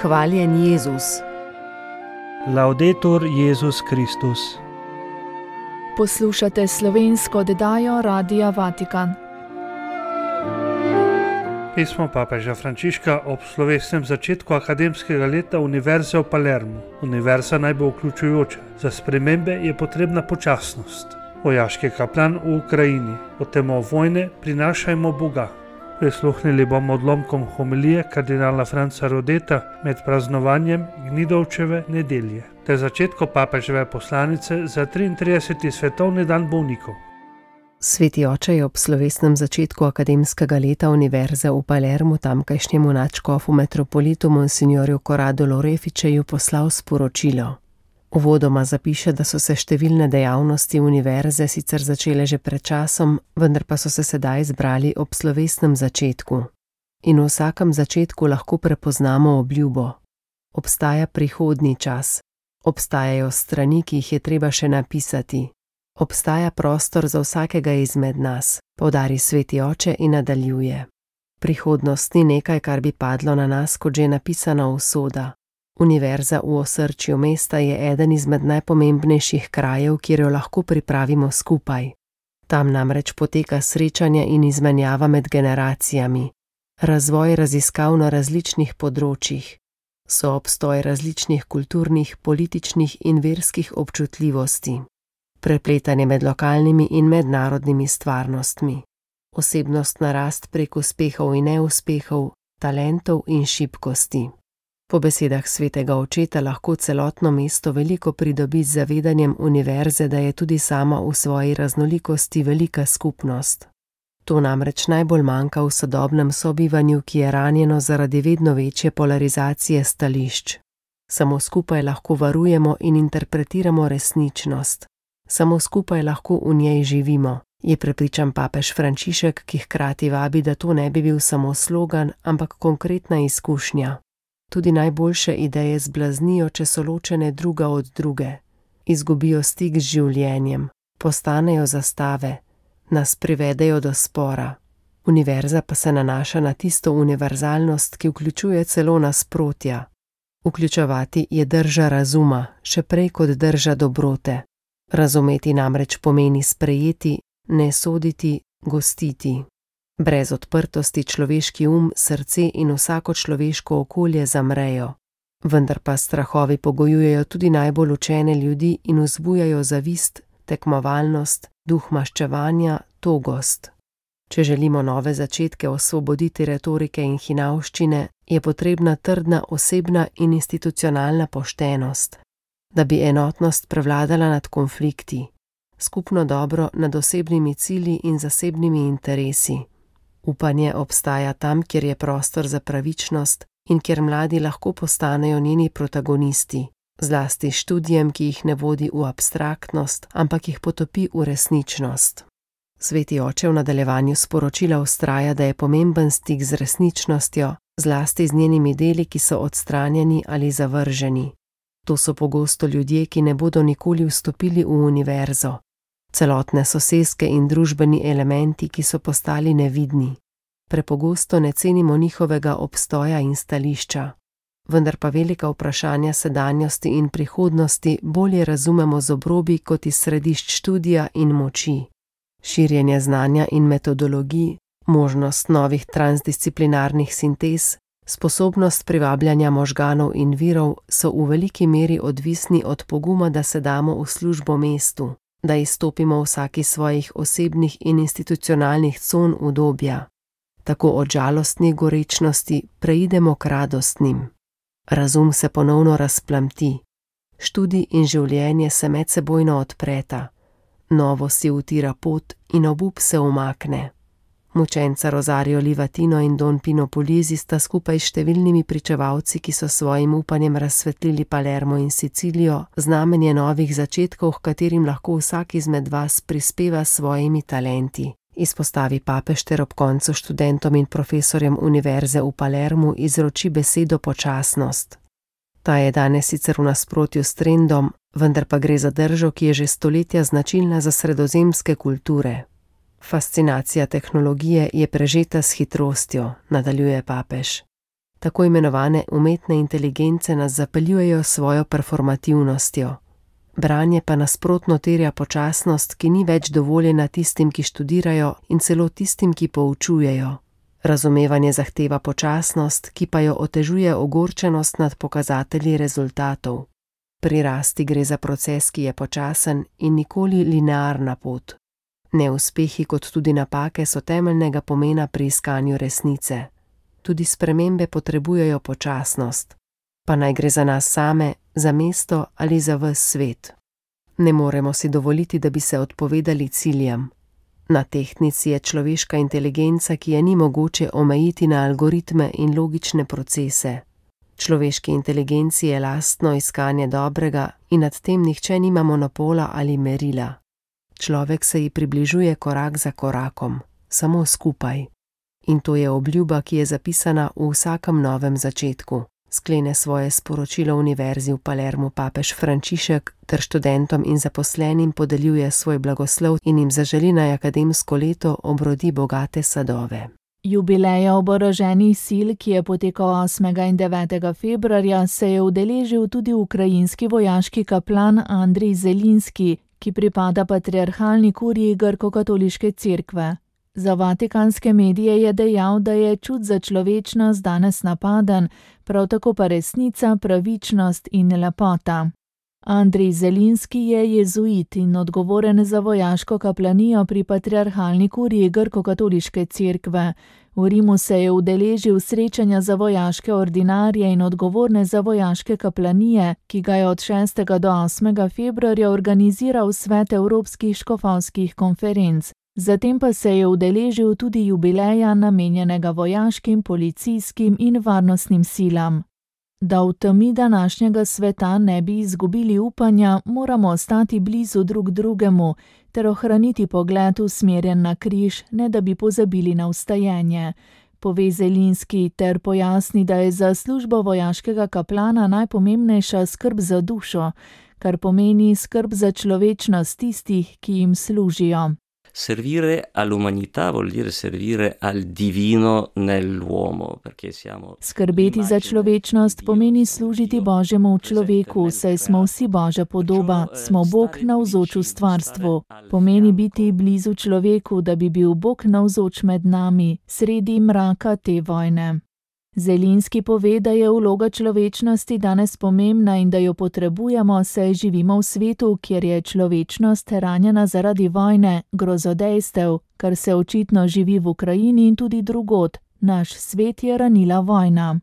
Hvaljen Jezus. Laudetur Jezus Kristus. Poslušate slovensko oddajo Radia Vatikan. Pismo papeža Frančiška ob slovesnem začetku akademskega leta Univerze v Palermu. Univerza naj bo vključujoča. Za spremembe je potrebna počasnost. Vojaški kaplan v Ukrajini. Od temo vojne prinašajmo Boga. Prisluhnili bomo odlomkom homilije kardinala Franca Rodeta med praznovanjem Gnidovčeve nedelje ter začetku papeževe poslanice za 33. svetovni dan bolnikov. Sveti oče je ob slovesnem začetku akademskega leta Univerze v Palermu tamkajšnjemu nadškofu metropolitu monsignorju Corrado Loreficeju poslal sporočilo. Uvodoma zapiše, da so se številne dejavnosti univerze sicer začele že pred časom, vendar pa so se sedaj zbrali ob slovesnem začetku. In v vsakem začetku lahko prepoznamo obljubo. Obstaja prihodnji čas. Obstajajo strani, ki jih je treba še napisati. Obstaja prostor za vsakega izmed nas, poudari sveti oče in nadaljuje. Prihodnost ni nekaj, kar bi padlo na nas kot že napisana usoda. Univerza v osrčju mesta je eden izmed najpomembnejših krajev, kjer jo lahko pripravimo skupaj. Tam namreč poteka srečanje in izmenjava med generacijami, razvoj raziskav na različnih področjih, soobstoj različnih kulturnih, političnih in verskih občutljivosti, prepletanje med lokalnimi in mednarodnimi stvarnostmi, osebnostna rast prek uspehov in neuspehov, talentov in šibkosti. Po besedah svetega očeta lahko celotno mesto veliko pridobi z zavedanjem univerze, da je tudi sama v svoji raznolikosti velika skupnost. To namreč najbolj manjka v sodobnem sobivanju, ki je ranjeno zaradi vedno večje polarizacije stališč. Samo skupaj lahko varujemo in interpretiramo resničnost. Samo skupaj lahko v njej živimo, je prepričan papež Frančišek, ki hkrati vabi, da to ne bi bil samo slogan, ampak konkretna izkušnja. Tudi najboljše ideje zblaznijo, če so ločene druga od druge. Izgubijo stik z življenjem, postanejo zastave, nas privedejo do spora. Univerza pa se nanaša na tisto univerzalnost, ki vključuje celo nasprotja. Vključevati je drža razuma, še prej kot drža dobrote. Razumeti namreč pomeni sprejeti, ne soditi, gostiti. Brez odprtosti človeški srce in vsako človeško okolje zamrejo. Vendar pa strahovi pogojujejo tudi najbolj učene ljudi in vzbujajo zavist, tekmovalnost, duh maščevanja, togost. Če želimo nove začetke osvoboditi retorike in hinavščine, je potrebna trdna osebna in institucionalna poštenost, da bi enotnost prevladala nad konflikti, skupno dobro nad osebnimi cilji in zasebnimi interesi. Upanje obstaja tam, kjer je prostor za pravičnost in kjer mladi lahko postanejo njeni protagonisti, zlasti študijem, ki jih ne vodi v abstraktnost, ampak jih potopi v resničnost. Sveti oče v nadaljevanju sporočila vztraja, da je pomemben stik z resničnostjo, zlasti z njenimi deli, ki so odstranjeni ali zavrženi. To so pogosto ljudje, ki ne bodo nikoli vstopili v univerzo. Celotne soseske in družbeni elementi, ki so postali nevidni. Prepogosto ne cenimo njihovega obstoja in stališča, vendar pa velika vprašanja sedanjosti in prihodnosti bolje razumemo z obrobi kot iz središč študija in moči. Širjenje znanja in metodologij, možnost novih transdisciplinarnih sintez, sposobnost privabljanja možganov in virov so v veliki meri odvisni od poguma, da se damo v službo mestu, da izstopimo vsaki svojih osebnih in institucionalnih con udobja. Tako od žalostnih gorečnosti preidemo k radostnim. Razum se ponovno razplamti. Študij in življenje se medsebojno odpreta. Novo si utira pot in obup se umakne. Mučenca Rosario Livatino in Don Pino Puglisi sta skupaj s številnimi pričevalci, ki so svojim upanjem razsvetlili Palermo in Sicilijo, znamenje novih začetkov, h katerim lahko vsak izmed vas prispeva s svojimi talenti, izpostavi papež ter ob koncu študentom in profesorjem Univerze v Palermu izroči besedo počasnost. Ta je danes sicer v nasprotju s trendom, vendar pa gre za držo, ki je že stoletja značilna za sredozemske kulture. Fascinacija tehnologije je prežeta s hitrostjo, nadaljuje papež. Tako imenovane umetne inteligence nas zapeljujejo s svojo performativnostjo. Branje pa nasprotno terja počasnost, ki ni več dovoljena tistim, ki študirajo, in celo tistim, ki poučujejo. Razumevanje zahteva počasnost, ki pa jo otežuje ogorčenost nad pokazatelji rezultatov. Pri rasti gre za proces, ki je počasen in nikoli linearna pot. Neuspehi kot tudi napake so temeljnega pomena pri iskanju resnice. Tudi spremembe potrebujejo počasnost. Pa naj gre za nas same, za mesto ali za ves svet. Ne moremo si dovoliti, da bi se odpovedali ciljem. Na tehtnici je človeška inteligenca, ki je ni mogoče omejiti na algoritme in logične procese. Človeški inteligenci je lastno iskanje dobrega in nad tem nihče nima monopola ali merila. Človek se ji približuje korak za korakom, samo skupaj. In to je obljuba, ki je zapisana v vsakem novem začetku. Sklene svoje sporočilo Univerzi v Palermu papež Frančišek ter študentom in zaposlenim podeljuje svoj blagoslov in jim zaželi naj akademsko leto obrodi bogate sadove. Jubileja oboroženih sil, ki je potekal 8. in 9. februarja, se je udeležil tudi ukrajinski vojaški kaplan Andrej Zelinski, ki pripada patriarhalni kuriji Grko-katoliške cerkve. Za vatikanske medije je dejal, da je čut za človečnost danes napaden, prav tako pa resnica, pravičnost in lepota. Andrej Zelinski je jezuit in odgovoren za vojaško kaplanijo pri patriarhalni kuriji Grko-katoliške cerkve. V Rimu se je udeležil srečanja za vojaške ordinarje in odgovorne za vojaške kaplanije, ki ga je od 6. do 8. februarja organiziral Svet evropskih škofovskih konferenc. Zatem pa se je udeležil tudi jubileja, namenjenega vojaškim, policijskim in varnostnim silam. Da v temi današnjega sveta ne bi izgubili upanja, moramo ostati blizu drug drugemu ter ohraniti pogled usmerjen na križ, ne da bi pozabili na vstajenje, pove Zelinski ter pojasni, da je za službo vojaškega kaplana najpomembnejša skrb za dušo, kar pomeni skrb za človečnost tistih, ki jim služijo. Servire all'umanità vuol dire servire al divino nell'uomo, perché siamo. Skrbeti za človečnost pomeni služiti Božjemu v človeku, saj smo vsi Božja podoba, smo Bog navzoč v stvarstvu. Pomeni biti blizu človeku, da bi bil Bog navzoč med nami, sredi mraka te vojne. Zelinski pove, da je vloga človečnosti danes pomembna in da jo potrebujemo, saj živimo v svetu, kjer je človečnost ranjena zaradi vojne, grozodejstev, kar se očitno živi v Ukrajini in tudi drugod. Naš svet je ranila vojna.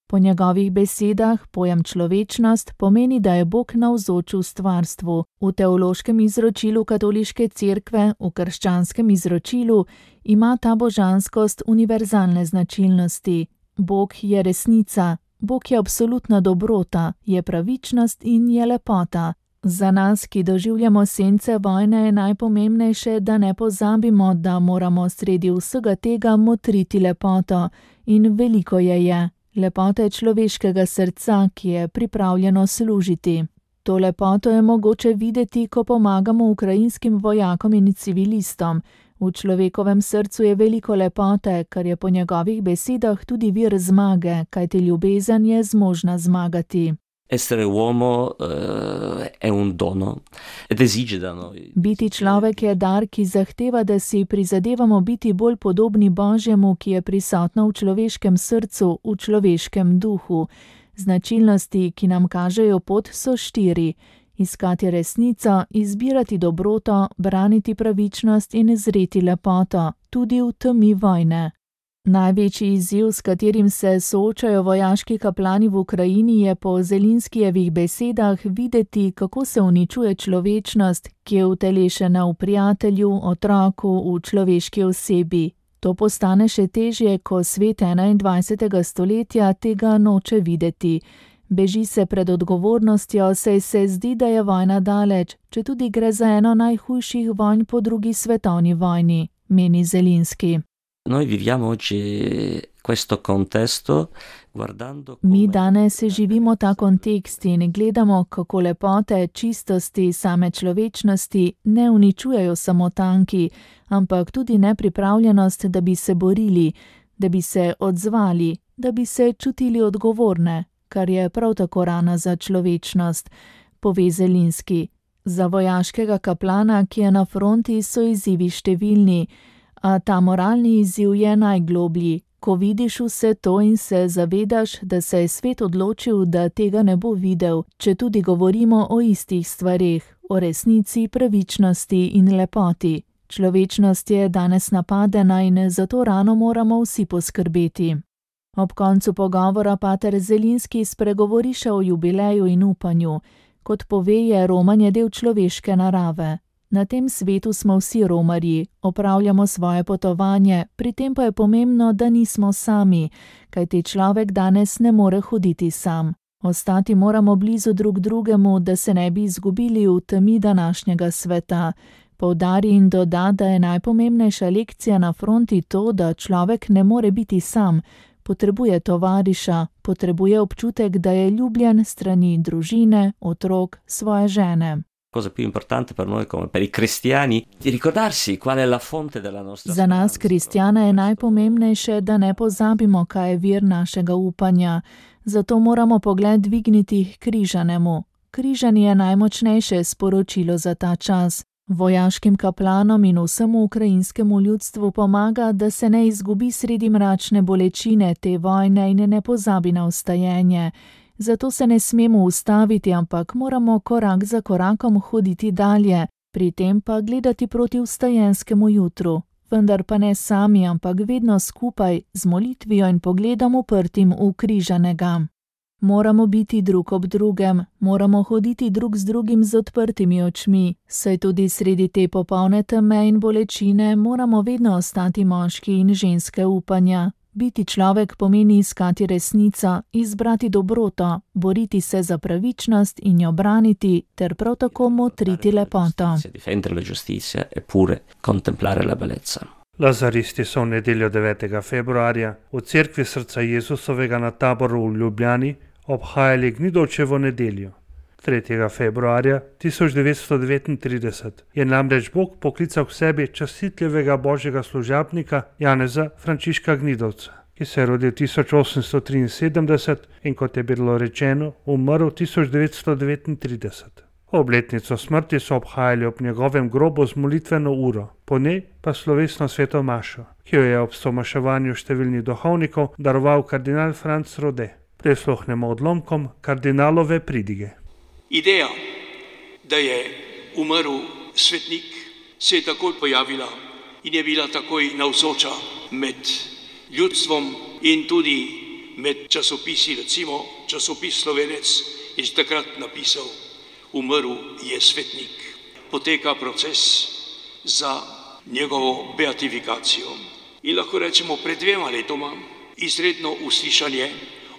Po njegovih besedah pojem človečnost pomeni, da je Bog navzoč v stvarstvu. V teološkem izročilu katoliške cerkve, v krščanskem izročilu, ima ta božanskost univerzalne značilnosti. Bog je resnica, Bog je absolutna dobrota, je pravičnost in je lepota. Za nas, ki doživljamo sence vojne, je najpomembnejše, da ne pozabimo, da moramo sredi vsega tega motriti lepoto. In veliko je. Lepota je človeškega srca, ki je pripravljeno služiti. To lepoto je mogoče videti, ko pomagamo ukrajinskim vojakom in civilistom. V človekovem srcu je veliko lepote, kar je po njegovih besedah tudi vir zmage, kajti ljubezen je zmožna zmagati. Essere uomo è un dono ed esige da noi. Biti človek je dar, ki zahteva, da si prizadevamo biti bolj podobni Božjemu, ki je prisotno v človeškem srcu, v človeškem duhu. Značilnosti, ki nam kažejo pot, so 4. Iskati resnico, izbirati dobroto, braniti pravičnost in zreti lepoto, tudi v temi vojne. Največji izziv, s katerim se soočajo vojaški kaplani v Ukrajini, je po Zelinskijevih besedah videti, kako se uničuje človečnost, ki je utelešena v prijatelju, otroku, v človeški osebi. To postane še težje, ko svet 21. stoletja tega noče videti. Beži se pred odgovornostjo, saj se zdi, da je vojna daleč, četudi gre za eno najhujših vojn po 2. svetovni vojni, meni Zelinski. Noi viviamo oggi questo contesto guardando. Mi danes živimo ta kontekst in gledamo, kako lepote, čistosti, same človečnosti ne uničujejo samo tanki, ampak tudi nepripravljenost, da bi se borili, da bi se odzvali, da bi se čutili odgovorne, kar je prav tako rana za človečnost, pove Zelinski. Za vojaškega kaplana, ki je na fronti, so izzivi številni, a ta moralni izziv je najgloblji, ko vidiš vse to in se zavedaš, da se je svet odločil, da tega ne bo videl, če tudi govorimo o istih stvareh, o resnici, pravičnosti in lepoti. Človečnost je danes napadena in za to rano moramo vsi poskrbeti. Ob koncu pogovora pater Zelinski spregovori še o jubileju in upanju. Kot pove, je romanje del človeške narave. Na tem svetu smo vsi romarji, opravljamo svoje potovanje, pri tem pa je pomembno, da nismo sami, kajti človek danes ne more hoditi sam. Ostati moramo blizu drug drugemu, da se ne bi izgubili v temi današnjega sveta. Poudari in doda, da je najpomembnejša lekcija na fronti to, da človek ne more biti sam, potrebuje tovariša, potrebuje občutek, da je ljubljen strani družine, otrok, svoje žene. Cosa più importante per noi come per i cristiani di ricordarsi qual è la fonte della nostra. Za nas kristjane je najpomembnejše, da ne pozabimo, kaj je vir našega upanja. Zato moramo pogled dvigniti k križanemu. Križanje je najmočnejše sporočilo za ta čas. Vojaškim kaplanom in vsemu ukrajinskemu ljudstvu pomaga, da se ne izgubi sredi mračne bolečine te vojne in ne pozabi na vstajenje. Zato se ne smemo ustaviti, ampak moramo korak za korakom hoditi dalje, pri tem pa gledati proti vstajenskemu jutru. Vendar pa ne sami, ampak vedno skupaj, z molitvijo in pogledom uprtim v križanega. Moramo biti drug ob drugem, moramo hoditi drug z drugim z odprtimi očmi, saj tudi sredi te popolne teme in bolečine moramo vedno ostati moški in ženske upanja. Biti človek pomeni iskati resnico, izbrati dobroto, boriti se za pravičnost in jo braniti, ter prav tako motriti lepoto. Lazaristi so v nedeljo 9. februarja v cerkvi Srca Jezusovega na Taboru v Ljubljani obhajali Gnidovčevo nedeljo. 3. februarja 1939 je namreč Bog poklical k sebi častitljivega božjega služabnika Janeza Frančiška Gnidovca, ki se je rodil 1873 in, kot je bilo rečeno, umrl 1939. Obletnico smrti so obhajali ob njegovem grobu z molitveno uro, po njej pa slovesno sveto mašo, ki jo je ob somaševanju številnih duhovnikov daroval kardinal Franc Rode. Prisluhnemo odlomkom kardinalove pridige. Ideja, da je umrl svetnik, se je takoj pojavila in je bila takoj navzoča med ljudstvom in tudi med časopisi, recimo časopis Slovenec je takrat napisal: umrl je svetnik. Poteka proces za njegovo beatifikacijo. In lahko rečemo, pred 2 letoma izredno uslišanje,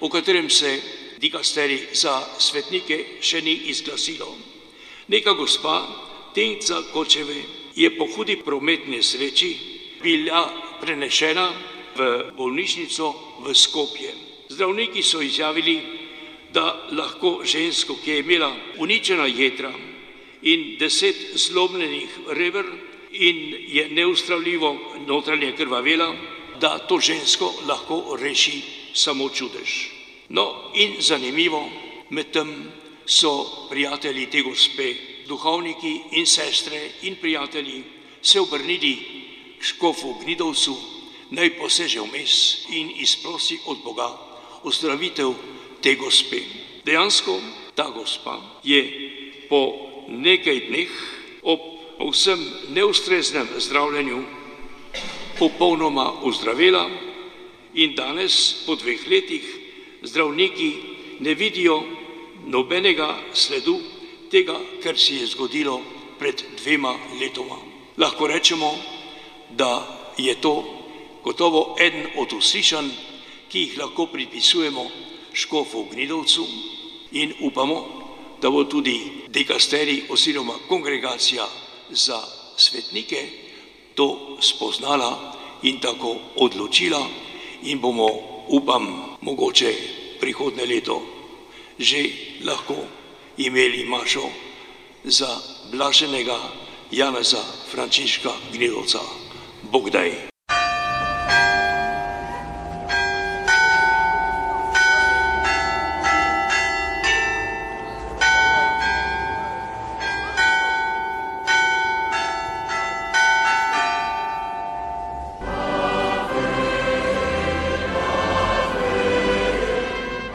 o katerem se dikasterij za svetnike še ni izglasilo. Neka gospa, Tenca Kočeve, je po hudi prometni nesreči bila prenešena v bolnišnico v Skopje. Zdravniki so izjavili, da lahko žensko, ki je imela uničena jedra in 10 zlomljenih reber in je neustravljivo notranje krvavela, da to žensko lahko reši samo čudež. No in zanimivo, medtem so prijatelji te gospe, duhovniki in sestre in prijatelji se obrnili k škofu Gnidovcu, naj poseže vmes in izprosi od Boga ozdravitev te gospe. Dejansko ta gospa je po nekaj dneh ob povsem neustreznem zdravljenju popolnoma ozdravela in danes, po 2 letih, zdravniki ne vidijo nobenega sledu tega, kar se je zgodilo pred 2 letoma. Lahko rečemo, da je to gotovo eden od uslišanj, ki jih lahko pripisujemo škofu Gnidovcu in upamo, da bo tudi dikasterij oziroma kongregacija za svetnike to spoznala in tako odločila in bomo, upam, mogoče prihodnje leto že lahko imeli mašo za blaženega Janeza Frančiška Gnidovca. Bog daj.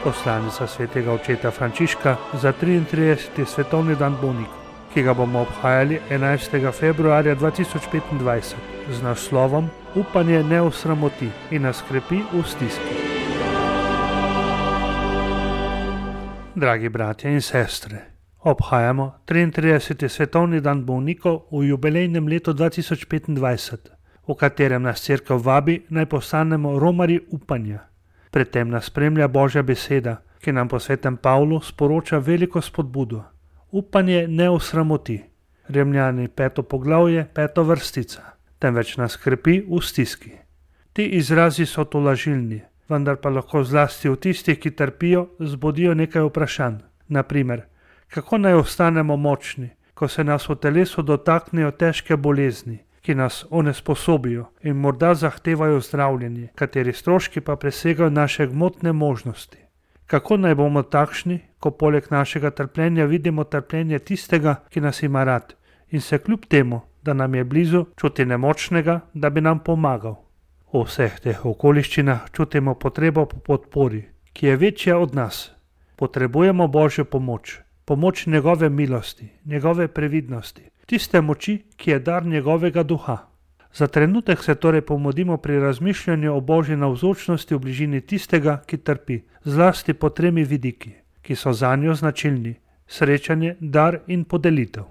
Poslanica svetega očeta Frančiška za 33. svetovni dan bolnikov, ki ga bomo obhajali 11. februarja 2025 z naslovom Upanje ne osramoti in nas krepi v stiski. Dragi bratje in sestre, obhajamo 33. svetovni dan bolnikov v jubilejnem letu 2025, v katerem nas Cerkev vabi naj postanemo romarji upanja. Predtem nas spremlja Božja beseda, ki nam po svetem Pavlu sporoča veliko spodbudo. Upanje ne osramoti. Rimljani 5. poglavje, 5. vrstica, temveč nas krepi v stiski. Ti izrazi so tolažilni, vendar pa lahko zlasti v tistih, ki trpijo, zbudijo nekaj vprašanj. Naprimer, kako naj ostanemo močni, ko se nas v telesu dotaknejo težke bolezni, ki nas onesposobijo in morda zahtevajo zdravljenje, kateri stroški pa presegajo naše gmotne možnosti. Kako naj bomo takšni, ko poleg našega trpljenja vidimo trpljenje tistega, ki nas ima rad in se kljub temu, da nam je blizu, čuti nemočnega, da bi nam pomagal. V vseh teh okoliščinah čutimo potrebo po podpori, ki je večja od nas. Potrebujemo Božjo pomoč, pomoč njegove milosti, njegove previdnosti, tiste moči, ki je dar njegovega duha. Za trenutek se torej pomodimo pri razmišljanju o Božji navzočnosti v bližini tistega, ki trpi, zlasti po 3 vidiki, ki so zanjo značilni: srečanje, dar in podelitev.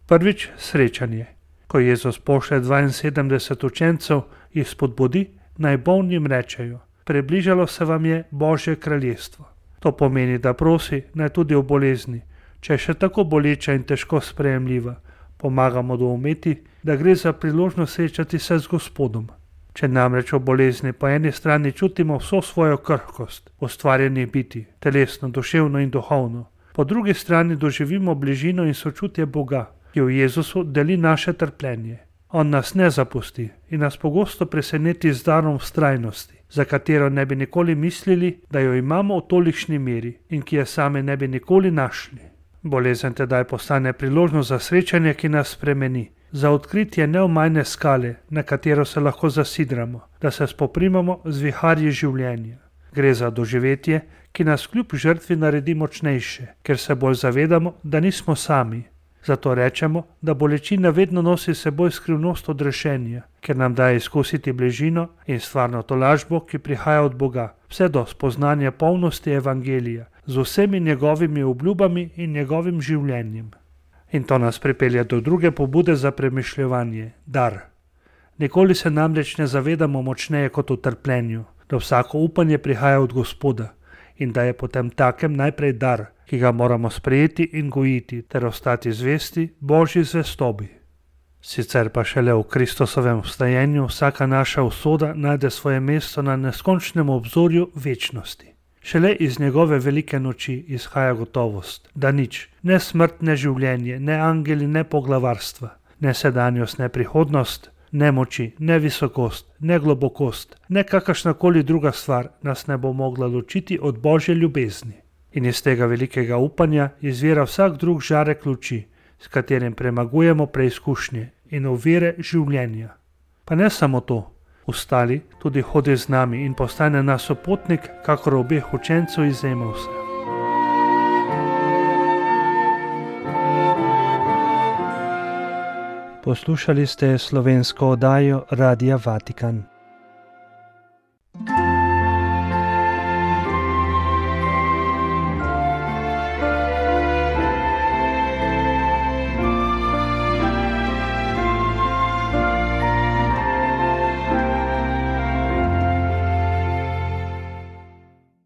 Prvič, srečanje. Ko Jezus pošlje 72 učencev, jih spodbudi, naj bolnim rečejo: približalo se vam je Božje kraljestvo. To pomeni, da prosi, naj tudi v bolezni, če je še tako boleča in težko sprejemljiva, pomagamo doumeti, da gre za priložnost srečati se z Gospodom. Če namreč v bolezni po eni strani čutimo vso svojo krhkost ustvarjenih bitij, telesno, duševno in duhovno, po drugi strani doživimo bližino in sočutje Boga, ki v Jezusu deli naše trpljenje. On nas ne zapusti in nas pogosto preseneti z darom vztrajnosti, za katero ne bi nikoli mislili, da jo imamo v tolikšni meri in ki je same ne bi nikoli našli. Bolezen tedaj postane priložnost za srečanje, ki nas spremeni, za odkritje neomajne skale, na katero se lahko zasidramo, da se spoprimamo z viharji življenja. Gre za doživetje, ki nas kljub žrtvi naredi močnejše, ker se bolj zavedamo, da nismo sami. Zato rečemo, da bolečina vedno nosi seboj skrivnost odrešenja, ker nam daje izkusiti bližino in stvarno tolažbo, ki prihaja od Boga, vse do spoznanja polnosti evangelija, z vsemi njegovimi obljubami in njegovim življenjem. In to nas pripelje do druge pobude za premišljevanje, dar. Nikoli se namreč ne zavedamo močneje kot v trpljenju, da vsako upanje prihaja od Gospoda in da je potem takem najprej dar, ki ga moramo sprejeti in gojiti ter ostati zvesti Božji zvestobi. Sicer pa šele v Kristusovem vstajenju vsaka naša usoda najde svoje mesto na neskončnem obzorju večnosti. Šele iz njegove velike noči izhaja gotovost, da nič, ne smrt, ne življenje, ne angeli, ne poglavarstva, ne sedanjost, ne prihodnost, ne moči, ne visokost, ne globokost, ne kakršnakoli druga stvar nas ne bo mogla ločiti od Božje ljubezni. In iz tega velikega upanja izvira vsak drug žarek luči, s katerim premagujemo preizkušnje in ovire življenja. Pa ne samo to, ustali tudi hodi z nami in postane nas sopotnik, kakor obeh učencev iz Emausa. Poslušali ste slovensko oddajo Radia Vatikan.